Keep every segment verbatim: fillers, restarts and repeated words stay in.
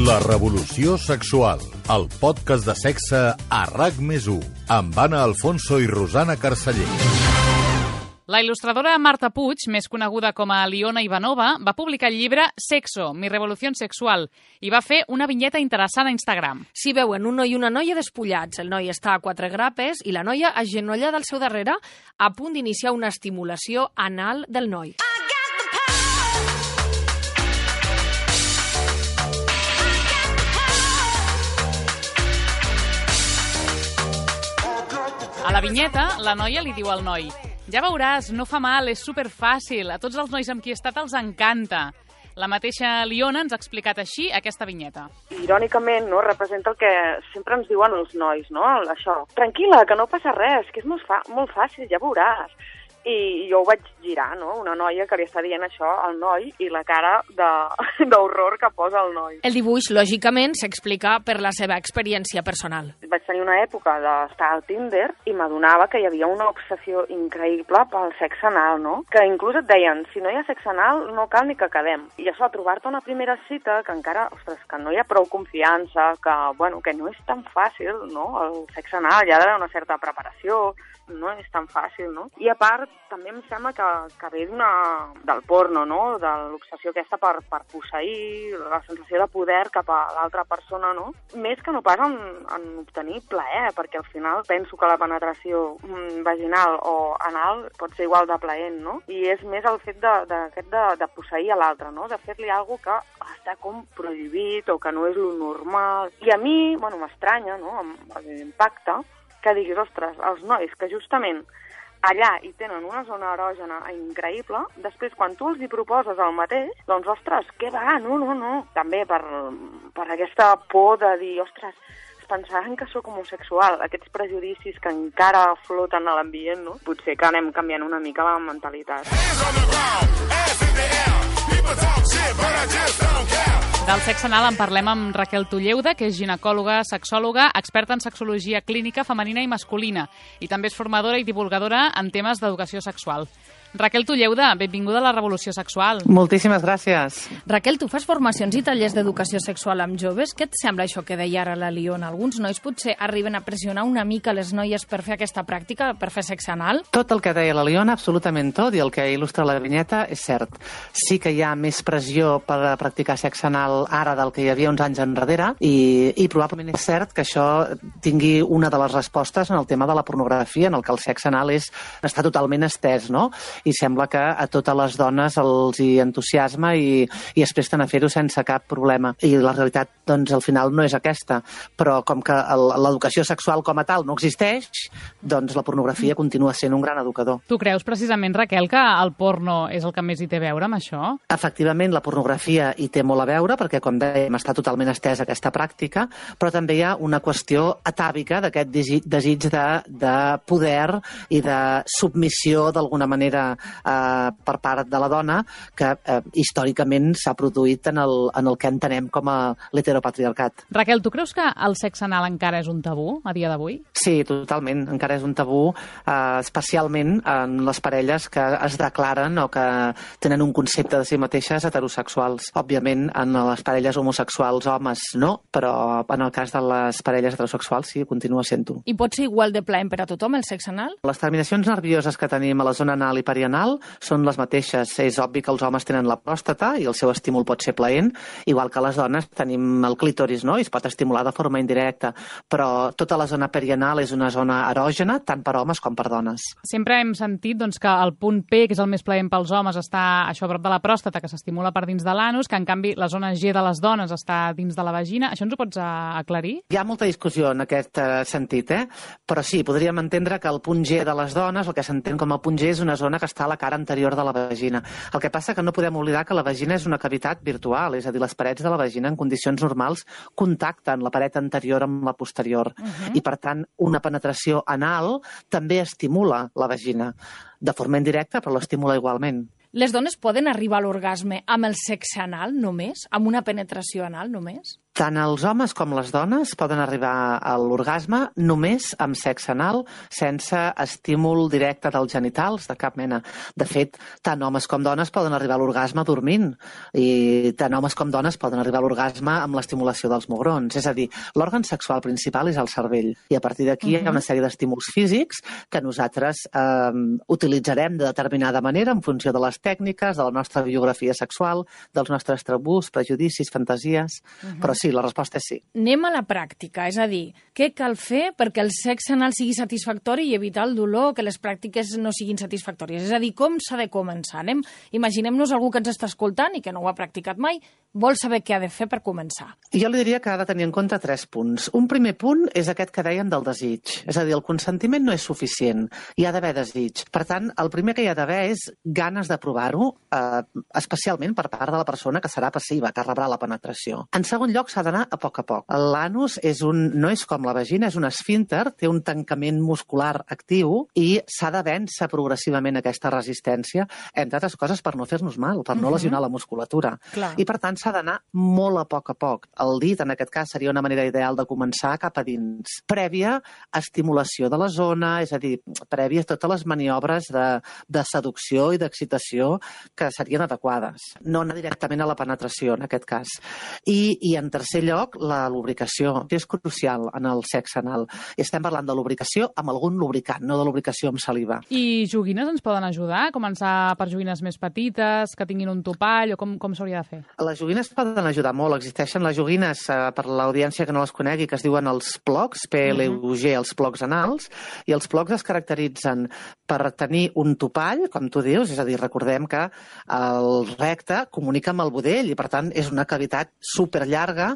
La revolució sexual, el podcast de sexe a RAC més u, amb Anna Alfonso i Rosana Carceller. La il·lustradora Marta Puig, més coneguda com a Liona Ivanova, va publicar el llibre Sexo, mi revolución sexual, i va fer una vinyeta interessant a Instagram. S'hi veuen un noi i una noia despullats. El noi està a quatre grapes i la noia agenollada al seu darrere, a punt d'iniciar una estimulació anal del noi. A la vinyeta, la noia li diu al noi: ja veuràs, no fa mal, és superfàcil, a tots els nois amb qui he estat els encanta. La mateixa Liona ens ha explicat així aquesta vinyeta. Irònicament, no, representa el que sempre ens diuen els nois, no? Això, tranquil·la, que no passa res, que és molt, fa molt fàcil, ja veuràs. I jo ho vaig girar, no? Una noia que li està dient això al noi i la cara d'horror que posa el noi. El dibuix, lògicament, s'explica per la seva experiència personal. Vaig tenir una època d'estar al Tinder i m'adonava que hi havia una obsessió increïble pel sexe anal, no? Que inclús et deien, si no hi ha sexe anal, no cal ni que quedem. I això, trobar-te una primera cita que encara, ostres, que no hi ha prou confiança, que, bueno, que no és tan fàcil, no? El sexe anal hi ha d'haver una certa preparació, no és tan fàcil, no? I a part, també em sembla que, que ve d'una, del porno, no? De l'obsessió aquesta per, per posseir, la sensació de poder cap a l'altra persona, no? Més que no pas en, en obtenir plaer, perquè al final penso que la penetració mm, vaginal o anal pot ser igual de plaent, no? I és més el fet de, de, de, de, de posseir a l'altre, no? De fer-li alguna que està com prohibit o que no és lo normal. I a mi, bueno, m'estranya, no? L'impacte que diguis, ostres, els nois que justament allà hi tenen una zona erògena increïble, després quan tu els hi proposes el mateix, doncs, ostres, què va? No, no, no. També per, per aquesta por de dir, ostres, pensaran que sóc homosexual, aquests prejudicis que encara floten a l'ambient, no? Potser que anem canviant una mica la mentalitat. Del sexe anal en parlem amb Raquel Tulleuda, que és ginecòloga, sexòloga, experta en sexologia clínica femenina i masculina, i també és formadora i divulgadora en temes d'educació sexual. Raquel Tulleuda, benvinguda a la revolució sexual. Moltíssimes gràcies. Raquel, tu fas formacions i tallers d'educació sexual amb joves. Què et sembla això que deia ara la Liona? Alguns nois potser arriben a pressionar una mica les noies per fer aquesta pràctica, per fer sexe anal? Tot el que deia la Liona, absolutament tot, i el que il·lustra la vinyeta és cert. Sí que hi ha més pressió per practicar sexe anal ara del que hi havia uns anys enrere, i, i probablement és cert que això tingui una de les respostes en el tema de la pornografia, en el que el sexe anal és, està totalment estès, no? I sembla que a totes les dones els hi entusiasma i, i es presten a fer-ho sense cap problema. I la realitat, doncs, al final no és aquesta. Però com que l'educació sexual com a tal no existeix, doncs la pornografia continua sent un gran educador. Tu creus precisament, Raquel, que el porno és el que més hi té a veure amb això? Efectivament, la pornografia hi té molt a veure, perquè, com dèiem, està totalment estesa aquesta pràctica, però també hi ha una qüestió atàvica d'aquest desig de, de poder i de submissió, d'alguna manera, Eh, per part de la dona, que eh, històricament s'ha produït en el, en el que entenem com a l'heteropatriarcat. Raquel, tu creus que el sexe anal encara és un tabú a dia d'avui? Sí, totalment. Encara és un tabú, eh, especialment en les parelles que es declaren o que tenen un concepte de si mateixes heterosexuals. Òbviament, en les parelles homosexuals homes no, però en el cas de les parelles heterosexuals sí, continua sent-ho. I pot ser igual de plaent per a tothom el sexe anal? Les terminacions nervioses que tenim a la zona anal i perianal són les mateixes. És obvi que els homes tenen la pròstata i el seu estímul pot ser plaent, igual que les dones tenim el clítoris, no? I es pot estimular de forma indirecta, però tota la zona perianal és una zona erògena tant per homes com per dones. Sempre hem sentit doncs, que el punt P, que és el més plaent pels homes, està això a prop de la pròstata, que s'estimula per dins de l'anus, que en canvi la zona G de les dones està dins de la vagina. Això ens ho pots aclarir? Hi ha molta discussió en aquest uh, sentit, eh? Però sí, podríem entendre que el punt G de les dones, el que s'entén com a punt G, és una zona que està a la cara anterior de la vagina. El que passa que no podem oblidar que la vagina és una cavitat virtual, és a dir, les parets de la vagina en condicions normals contacten la paret anterior amb la posterior. Uh-huh. I, per tant, una penetració anal també estimula la vagina. De forma indirecta, però l'estimula igualment. Les dones poden arribar a l'orgasme amb el sexe anal només? Amb una penetració anal només? Tant els homes com les dones poden arribar a l'orgasme només amb sexe anal, sense estímul directe dels genitals, de cap mena. De fet, tant homes com dones poden arribar a l'orgasme dormint, i tant homes com dones poden arribar a l'orgasme amb l'estimulació dels mugrons. És a dir, l'òrgan sexual principal és el cervell, i a partir d'aquí uh-huh. hi ha una sèrie d'estímuls físics que nosaltres eh, utilitzarem de determinada manera en funció de les tècniques, de la nostra biografia sexual, dels nostres tabús, prejudicis, fantasies... Uh-huh. Però sí, la resposta és sí. Anem a la pràctica, és a dir, què cal fer perquè el sexe anal sigui satisfactori i evitar el dolor, que les pràctiques no siguin satisfactòries? És a dir, com s'ha de començar? Anem, imaginem-nos algú que ens està escoltant i que no ho ha practicat mai, vol saber què ha de fer per començar. Jo li diria que ha de tenir en compte tres punts. Un primer punt és aquest que dèiem del desig. És a dir, el consentiment no és suficient, hi ha d'haver desig. Per tant, el primer que hi ha d'haver és ganes de provar-ho, eh, especialment per part de la persona que serà passiva, que rebrà la penetració. En segon lloc, s'ha d'anar a poc a poc. L'anus és un, no és com la vagina, és un esfínter, té un tancament muscular actiu i s'ha de vèncer progressivament aquesta resistència, entre altres coses per no fer-nos mal, per no uh-huh. lesionar la musculatura. Clar. I per tant s'ha d'anar molt a poc a poc. El dit, en aquest cas, seria una manera ideal de començar cap a dins. Prèvia estimulació de la zona, és a dir, prèvia totes les maniobres de, de seducció i d'excitació que serien adequades. No anar directament a la penetració, en aquest cas. I, i en tercer lloc, la lubricació. És crucial en el sexe anal. I estem parlant de lubricació amb algun lubricant, no de lubricació amb saliva. I joguines ens poden ajudar? Començar per joguines més petites, que tinguin un topall, o com, com s'hauria de fer? Les joguines poden ajudar molt. Existeixen les joguines, eh, per l'audiència que no les conegui, que es diuen els plocs, P L U G, els plocs anals, i els plocs es caracteritzen per tenir un topall, com tu dius, és a dir, recordem que el recte comunica amb el budell i, per tant, és una cavitat superllarga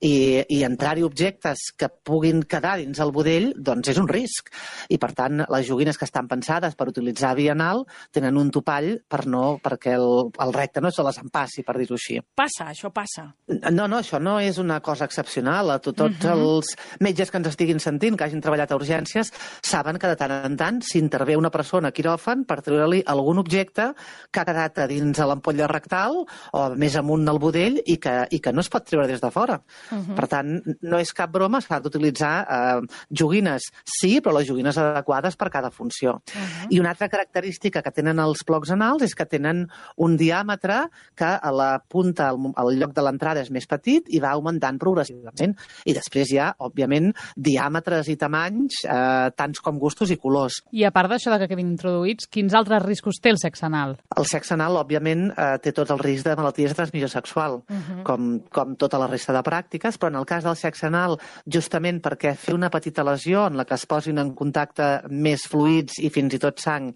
i, i entrar-hi objectes que puguin quedar dins el budell, doncs és un risc. I, per tant, les joguines que estan pensades per utilitzar via anal tenen un topall per no, perquè el, el recte no se les empassi, per dir-ho així. Passa, això passa. No, no, això no és una cosa excepcional. A tots uh-huh. els metges que ens estiguin sentint, que hagin treballat a urgències, saben que de tant en tant s'intervé una persona a quiròfan per treure-li algun objecte que ha quedat a dins de l'ampolla rectal o més amunt del budell i que, i que no es pot treure des de fora. Uh-huh. Per tant, no és cap broma, s'ha d'utilitzar eh, joguines, sí, però les joguines adequades per cada funció. Uh-huh. I una altra característica que tenen els plocs anals és que tenen un diàmetre que a la punta, al, al lloc de l'entrada, és més petit i va augmentant progressivament. I després hi ha, òbviament, diàmetres i tamanys, eh, tants com gustos i colors. I a part d'això de que quedin introduïts, quins altres riscos té el sexe anal? El sexe anal, òbviament, eh, té tot el risc de malalties de transmissió sexual, uh-huh. com, com tota la resta de pràctiques, però en el cas del sexe anal, justament perquè fer una petita lesió en la que es posin en contacte més fluids i fins i tot sang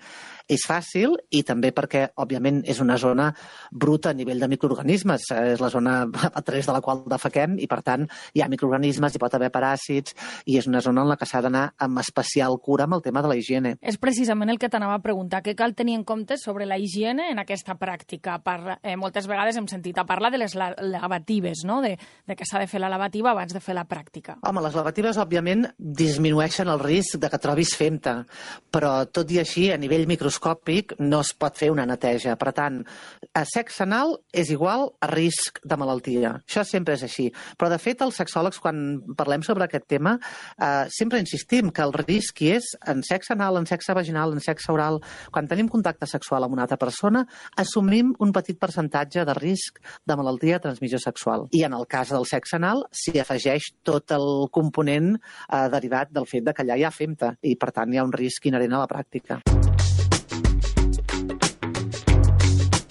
és fàcil, i també perquè, òbviament, és una zona bruta a nivell de microorganismes. És la zona a través de la qual defequem i, per tant, hi ha microorganismes, hi pot haver paràsits, i és una zona en la que s'ha d'anar amb especial cura amb el tema de la higiene. És precisament el que t'anava a preguntar. Què cal tenir en compte sobre la higiene en aquesta pràctica? Per, eh, moltes vegades hem sentit a parlar de les la lavatives, no? de, de que s'ha de fer la lavativa abans de fer la pràctica. Home, les lavatives, òbviament, disminueixen el risc de que trobis fem-te, però tot i així, a nivell microscòpic, no es pot fer una neteja. Per tant, a sexe anal és igual a risc de malaltia. Això sempre és així. Però, de fet, els sexòlegs, quan parlem sobre aquest tema, eh, sempre insistim que el risc hi és en sexe anal, en sexe vaginal, en sexe oral. Quan tenim contacte sexual amb una altra persona, assumim un petit percentatge de risc de malaltia de transmissió sexual. I en el cas del sexe anal s'hi afegeix tot el component eh, derivat del fet de que allà hi ha fem-te i, per tant, hi ha un risc inherent a la pràctica.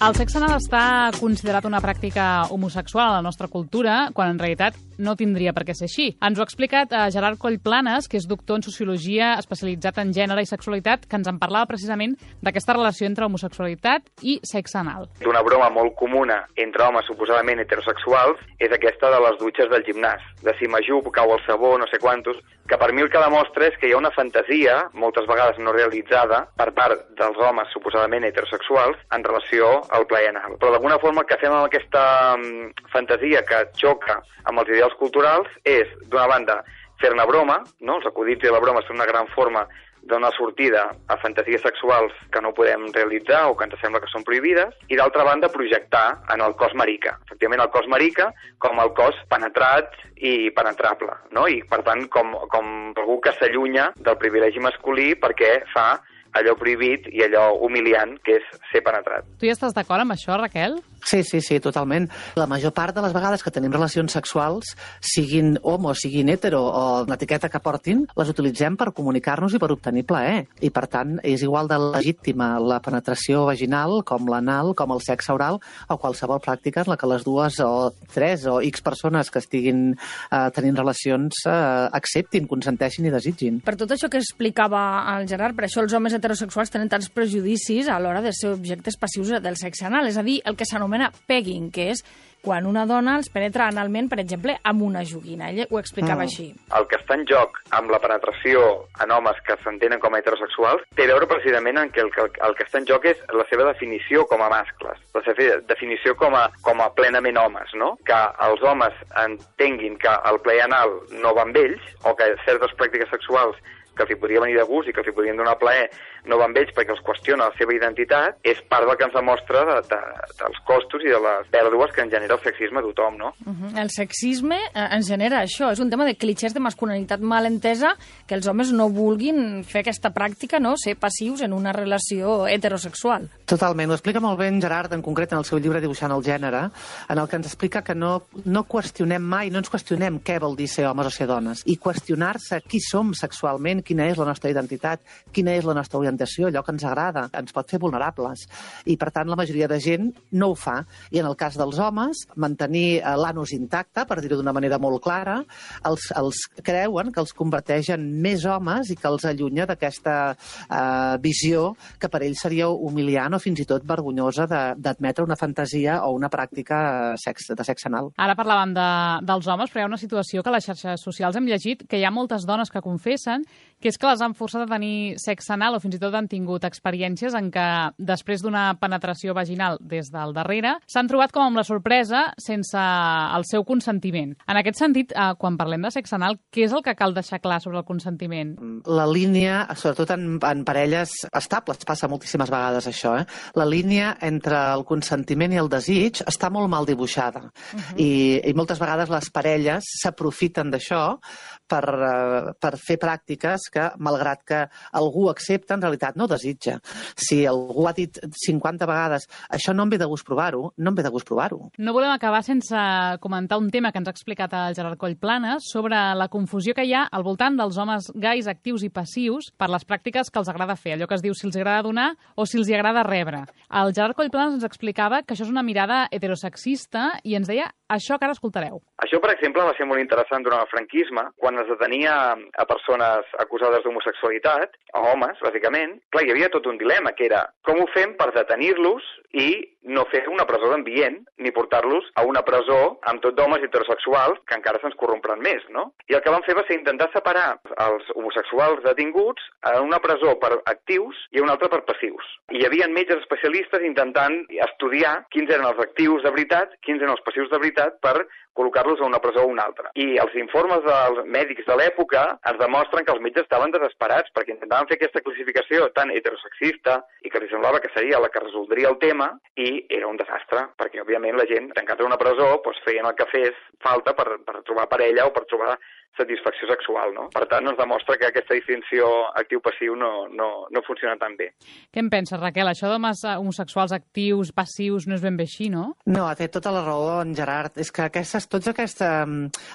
El sexe anal està considerat una pràctica homosexual a la nostra cultura, quan en realitat no tindria per què ser així. Ens ho ha explicat eh, Gerard Collplanes, que és doctor en Sociologia especialitzat en gènere i sexualitat, que ens en parlava precisament d'aquesta relació entre homosexualitat i sexe anal. Una broma molt comuna entre homes suposadament heterosexuals és aquesta de les dutxes del gimnàs, de si m'ajup, cau el sabó, no sé quantos, que per mi el que demostra és que hi ha una fantasia, moltes vegades no realitzada, per part dels homes suposadament heterosexuals en relació al plaer anal. Però d'alguna forma el que fem amb aquesta um, fantasia que xoca amb els ideals culturals és, d'una banda, fer-ne broma, no? Els acudits i la broma són una gran forma donar sortida a fantasies sexuals que no podem realitzar o que ens sembla que són prohibides, i d'altra banda projectar en el cos marica. Efectivament, el cos marica com el cos penetrat i penetrable, no? I per tant com, com algú que s'allunya del privilegi masculí perquè fa allò prohibit i allò humiliant que és ser penetrat. Tu hi estàs d'acord amb això, Raquel? Sí, sí, sí, totalment. La major part de les vegades que tenim relacions sexuals, siguin homo, siguin hetero o l'etiqueta que portin, les utilitzem per comunicar-nos i per obtenir plaer. I, per tant, és igual de legítima la penetració vaginal com l'anal, com el sexe oral o qualsevol pràctica en la que les dues o tres o X persones que estiguin eh, tenint relacions eh, acceptin, consenteixin i desitgin. Per tot això que explicava el Gerard, per això els homes heterosexuals tenen tants prejudicis a l'hora de ser objectes passius del sexe anal, és a dir, el que s'anomena pegging, que és quan una dona els penetra analment, per exemple, amb una joguina. Ella ho explicava mm. així. El que està en joc amb la penetració en homes que s'entenen com a heterosexuals té a veure precisament en que el, que el que està en joc és la seva definició com a mascles, la seva definició com a, com a plenament homes, no? Que els homes entenguin que el plaer anal no va amb ells, o que certes pràctiques sexuals que els hi podria venir de gust i que els hi podrien donar plaer no van amb ells perquè els qüestiona la seva identitat, és part del que ens demostra de, de, dels costos i de les pèrdues que en genera el sexisme a tothom, no? Uh -huh. El sexisme eh, ens genera això, és un tema de clichés de masculinitat mal entesa, que els homes no vulguin fer aquesta pràctica, no? Ser passius en una relació heterosexual. Totalment, ho explica molt bé en Gerard, en concret en el seu llibre Dibuixant el gènere, en el que ens explica que no, no qüestionem mai, no ens qüestionem què vol dir ser homes o ser dones, i qüestionar-se qui som sexualment, quina és la nostra identitat, quina és la nostra orientació, allò que ens agrada, ens pot fer vulnerables. I, per tant, la majoria de gent no ho fa. I en el cas dels homes, mantenir l'anus intacte, per dir-ho d'una manera molt clara, els, els creuen que els converteix en més homes i que els allunya d'aquesta eh, visió que per ells seria humiliant o fins i tot vergonyosa d'admetre una fantasia o una pràctica sex, de sexe anal. Ara parlàvem de, dels homes, però hi ha una situació que a les xarxes socials hem llegit que hi ha moltes dones que confessen que és que les han forçat a tenir sexe anal o fins i tot han tingut experiències en què després d'una penetració vaginal des del darrere s'han trobat com amb la sorpresa sense el seu consentiment. En aquest sentit, eh, quan parlem de sexe anal, què és el que cal deixar clar sobre el consentiment? La línia, sobretot en, en parelles estables, passa moltíssimes vegades això, eh? La línia entre el consentiment i el desig està molt mal dibuixada. Uh-huh. I, i moltes vegades les parelles s'aprofiten d'això per, uh, per fer pràctiques que, malgrat que algú accepta, en realitat no desitja. Si algú ha dit cinquanta vegades això no em ve de gust provar-ho, no em ve de gust provar-ho. No volem acabar sense comentar un tema que ens ha explicat el Gerard Collplanes sobre la confusió que hi ha al voltant dels homes gais actius i passius per les pràctiques que els agrada fer, allò que es diu si els agrada donar o si els agrada rebre. El Gerard Collplanes ens explicava que això és una mirada heterosexista i ens deia això que ara escoltareu. Això, per exemple, va ser molt interessant durant el franquisme, quan es detenia a persones acusades d'homosexualitat, a homes, bàsicament. Clar, hi havia tot un dilema, que era com ho fem per detenir-los i no fer una presó d'ambient, ni portar-los a una presó amb tot d'homes heterosexuals, que encara se'ns corrompran més, no? I el que van fer va ser intentar separar els homosexuals detinguts en una presó per actius i una altra per passius. I hi havia metges especialistes intentant estudiar quins eren els actius de veritat, quins eren els passius de veritat, per col·locar-los a una presó o una altra. I els informes dels mèdics de l'època ens demostren que els metges estaven desesperats perquè intentaven fer aquesta classificació tan heterosexista i que li semblava que seria la que resoldria el tema i era un desastre, perquè òbviament la gent tancada en una presó doncs, feien el que fes falta per, per trobar parella o per trobar satisfacció sexual, no? Per tant, ens demostra que aquesta distinció actiu-passiu no, no, no funciona tan bé. Què en penses, Raquel? Això d'homes homosexuals actius, passius, no és ben bé així, no? No, té tota la raó, en Gerard. És que aquestes, tota aquesta,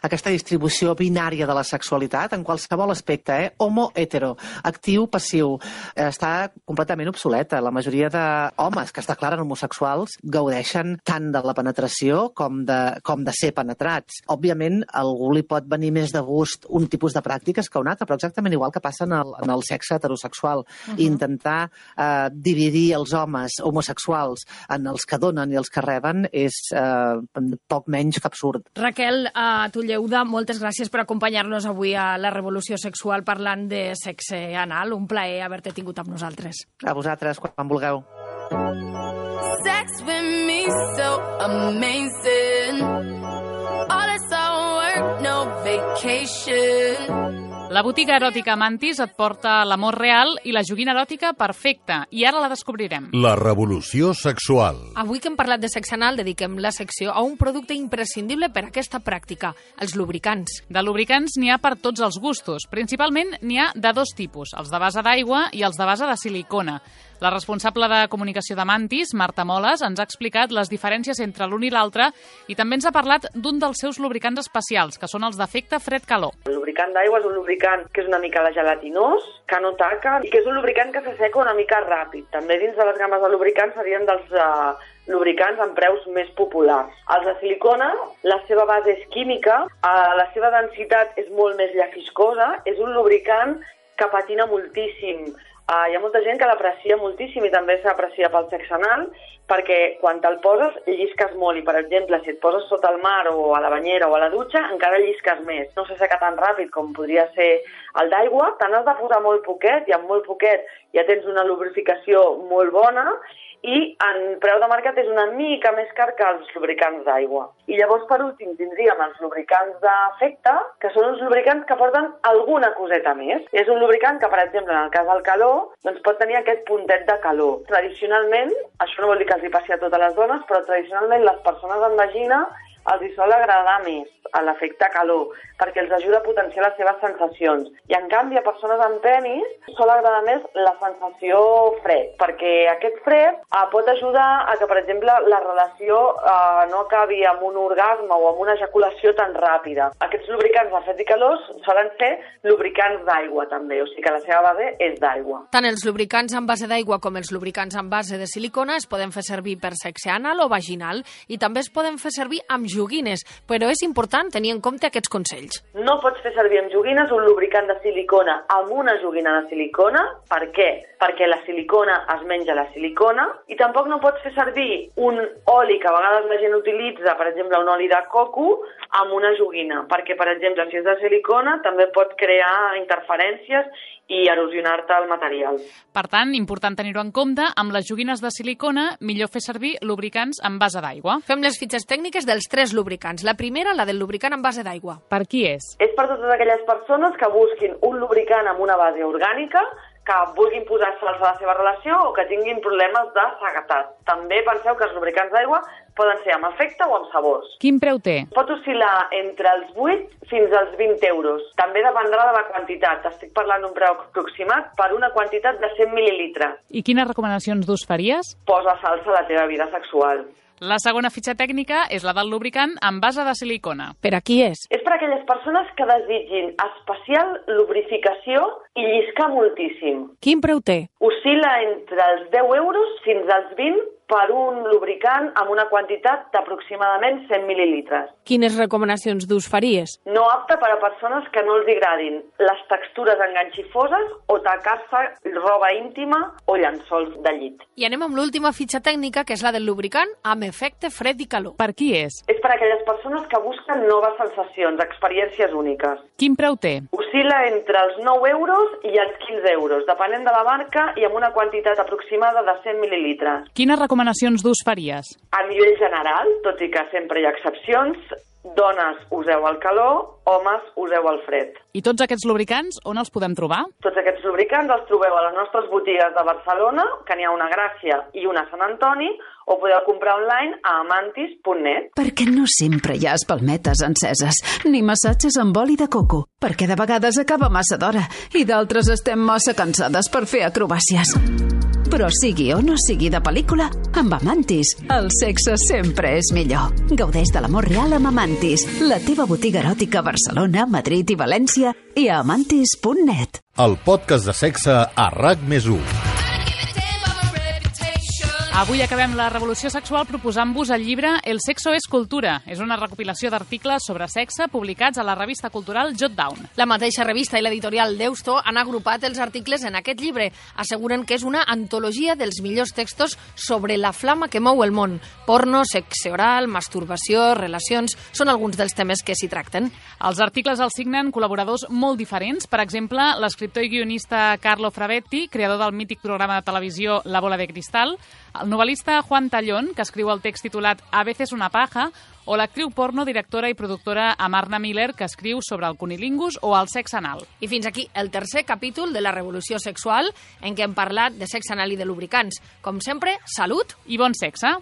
aquesta distribució binària de la sexualitat, en qualsevol aspecte, eh? homo-hetero, actiu-passiu, està completament obsoleta. La majoria d'homes que es declaren homosexuals gaudeixen tant de la penetració com de, com de ser penetrats. Òbviament, algú li pot venir més de gust un tipus de pràctiques que un altre, però exactament igual que passa en el, en el sexe heterosexual. Uh-huh. Intentar eh, dividir els homes homosexuals en els que donen i els que reben és eh, poc menys que absurd. Raquel uh, Tulleuda, moltes gràcies per acompanyar-nos avui a La Revolució Sexual parlant de sexe anal. Un plaer haver-te tingut amb nosaltres. A vosaltres, quan vulgueu. Sex with me so amazing. All this all work, no vacation. La botiga eròtica Amantis et porta l'amor real i la joguina eròtica perfecta, i ara la descobrirem. La revolució sexual. Avui que hem parlat de sexe anal, dediquem la secció a un producte imprescindible per a aquesta pràctica, els lubricants. De lubricants n'hi ha per tots els gustos. Principalment n'hi ha de dos tipus, els de base d'aigua i els de base de silicona. La responsable de comunicació d'Amantis, Marta Moles, ens ha explicat les diferències entre l'un i l'altre i també ens ha parlat d'un dels seus lubricants especials, que són els d'efecte fred-calor. El lubricant d'aigua és un lubricant que és una mica de gelatinós, que no taca, i que és un lubricant que s'asseca una mica ràpid. També dins de les games de lubricants serien dels uh, lubricants amb preus més populars. Els de silicona, la seva base és química, uh, la seva densitat és molt més llafiscosa, és un lubricant que patina moltíssim. Uh, hi ha molta gent que l'aprecia moltíssim i també s'aprecia pel sexe anal, perquè quan te'l poses llisques molt i, per exemple, si et poses sota el mar o a la banyera o a la dutxa, encara llisques més. No s'asseca tan ràpid com podria ser el d'aigua, te n'has de posar molt poquet i amb molt poquet ja tens una lubrificació molt bona i en preu de mercat és una mica més car que els lubricants d'aigua. I llavors, per últim, tindríem els lubricants d'efecte, que són uns lubricants que porten alguna coseta més. És un lubricant que, per exemple, en el cas del calor, doncs pot tenir aquest puntet de calor. Tradicionalment, això no vol dir que els hi passi a totes les dones, però tradicionalment les persones amb vagina els hi sol agradar més a l'efecte calor, perquè els ajuda a potenciar les seves sensacions. I en canvi, a persones amb penis sol agradar més la sensació fred, perquè aquest fred eh, pot ajudar a que, per exemple, la relació eh, no acabi amb un orgasme o amb una ejaculació tan ràpida. Aquests lubricants de fred i calor solen ser lubricants d'aigua, també, o sigui que la seva base és d'aigua. Tant els lubricants amb base d'aigua com els lubricants amb base de silicona es poden fer servir per sexe anal o vaginal i també es poden fer servir amb joguines, però és important tenir en compte aquests consells. No pots fer servir amb joguines un lubricant de silicona amb una joguina de silicona. Per què? Perquè la silicona es menja la silicona i tampoc no pots fer servir un oli que a vegades la gent utilitza, per exemple un oli de coco, amb una joguina, perquè, per exemple, si és de silicona també pot crear interferències i erosionar-te el material. Per tant, important tenir-ho en compte, amb les joguines de silicona, millor fer servir lubricants amb base d'aigua. Fem les fitxes tècniques dels tres lubricants. La primera, la del lubricant amb base d'aigua. Per qui és? És per totes aquelles persones que busquin un lubricant amb una base orgànica, que vulguin posar salts a la seva relació o que tinguin problemes de seguretat. També penseu que els lubricants d'aigua poden ser amb efecte o amb sabors. Quin preu té? Pot oscil·lar entre els vuit fins als vint euros. També dependrà de la quantitat. Estic parlant d'un preu aproximat per una quantitat de cent mil·lilitres. I quines recomanacions d'ús faries? Posa salsa a la teva vida sexual. La segona fitxa tècnica és la del lubricant amb base de silicona. Per a qui és? És per a aquelles persones que desitgin especial lubrificació i lliscar moltíssim. Quin preu té? Oscil·la entre els deu euros fins als vint per un lubricant amb una quantitat d'aproximadament cent mil·lilitres. Quines recomanacions d'ús faries? No apte per a persones que no els agradin les textures enganxifoses o tacar-se roba íntima o llençols de llit. I anem amb l'última fitxa tècnica, que és la del lubricant amb efecte fred i calor. Per qui és? És per a aquelles persones que busquen noves sensacions, experiències úniques. Quin preu té? Oscil·la entre els nou euros i els quinze euros, depenent de la marca i amb una quantitat aproximada de cent mil·lilitres. Quines recomanacions d'ús faries? A nivell general, tot i que sempre hi ha excepcions, dones useu el calor, homes useu el fred. I tots aquests lubricants on els podem trobar? Tots aquests lubricants els trobeu a les nostres botigues de Barcelona, que n'hi ha una a Gràcia i una a Sant Antoni, o podeu comprar online a amantis punt net. Perquè no sempre hi ha espalmetes enceses, ni massatges amb oli de coco, perquè de vegades acaba massa d'hora i d'altres estem massa cansades per fer acrobàcies. Però sigui o no sigui de pel·lícula, amb Amantis, el sexe sempre és millor. Gaudeix de l'amor real amb Amantis, la teva botiga eròtica a Barcelona, Madrid i València i a amantis punt net. El podcast de sexe a RAC més u. Avui acabem la revolució sexual proposant-vos el llibre El sexo és cultura. És una recopilació d'articles sobre sexe publicats a la revista cultural Jot Down. La mateixa revista i l'editorial Deusto han agrupat els articles en aquest llibre. Asseguren que és una antologia dels millors textos sobre la flama que mou el món. Porno, sexe oral, masturbació, relacions... Són alguns dels temes que s'hi tracten. Els articles els signen col·laboradors molt diferents. Per exemple, l'escriptor i guionista Carlo Fravetti, creador del mític programa de televisió La bola de cristal, el novel·lista Juan Tallón, que escriu el text titulat A veces una paja, o l'actriu porno, directora i productora Amarna Miller, que escriu sobre el cunilingus o el sexe anal. I fins aquí el tercer capítol de la revolució sexual, en què hem parlat de sexe anal i de lubricants. Com sempre, salut i bon sexe!